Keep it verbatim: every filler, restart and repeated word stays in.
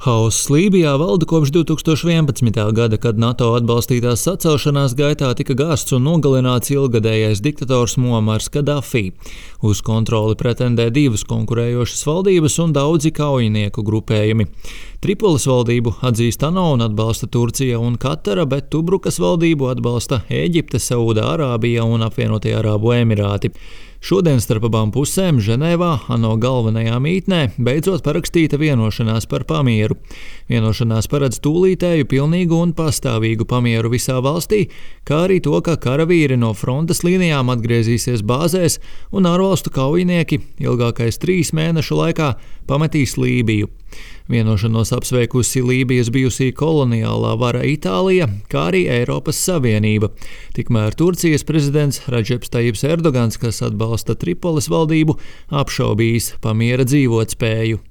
Hauss Lībijā valda kopš divi tūkstoši vienpadsmitā gada, kad NATO atbalstītās sacelšanās gaitā tika gāzts un nogalināts ilggadējais diktators Muamars Kadafī. Uz kontroli pretendē divas konkurējošas valdības un daudzi kaujinieku grupējumi. Tripolis valdību atzīst ANO un atbalsta Turcija un Katara, bet Tubrukas valdību atbalsta Ēģipte, Saūda-Arābija un Apvienotie Arābu Emirāti. Šodien starp abām pusēm Ženēvā, ANO galvenajā mītnē, beidzot parakstīta vienošanās par pamieru. Vienošanās paredz tūlītēju, pilnīgu un pastāvīgu pamieru visā valstī, kā arī to, ka karavīri no frontes līnijām atgriezīsies bāzēs un ārvalstu kaujinieki ilgākais trīs mēnešu laikā pametīs Lībiju. Vienošanos apsveikusi Lībijas bijusī koloniālā vara Itālija, kā arī Eiropas Savienība. Tikmēr Turcijas prezidents Radžeps Tajibs Erdogans, kas atbalsta Tripolis valdību, apšaubījis pamiera dzīvotspēju.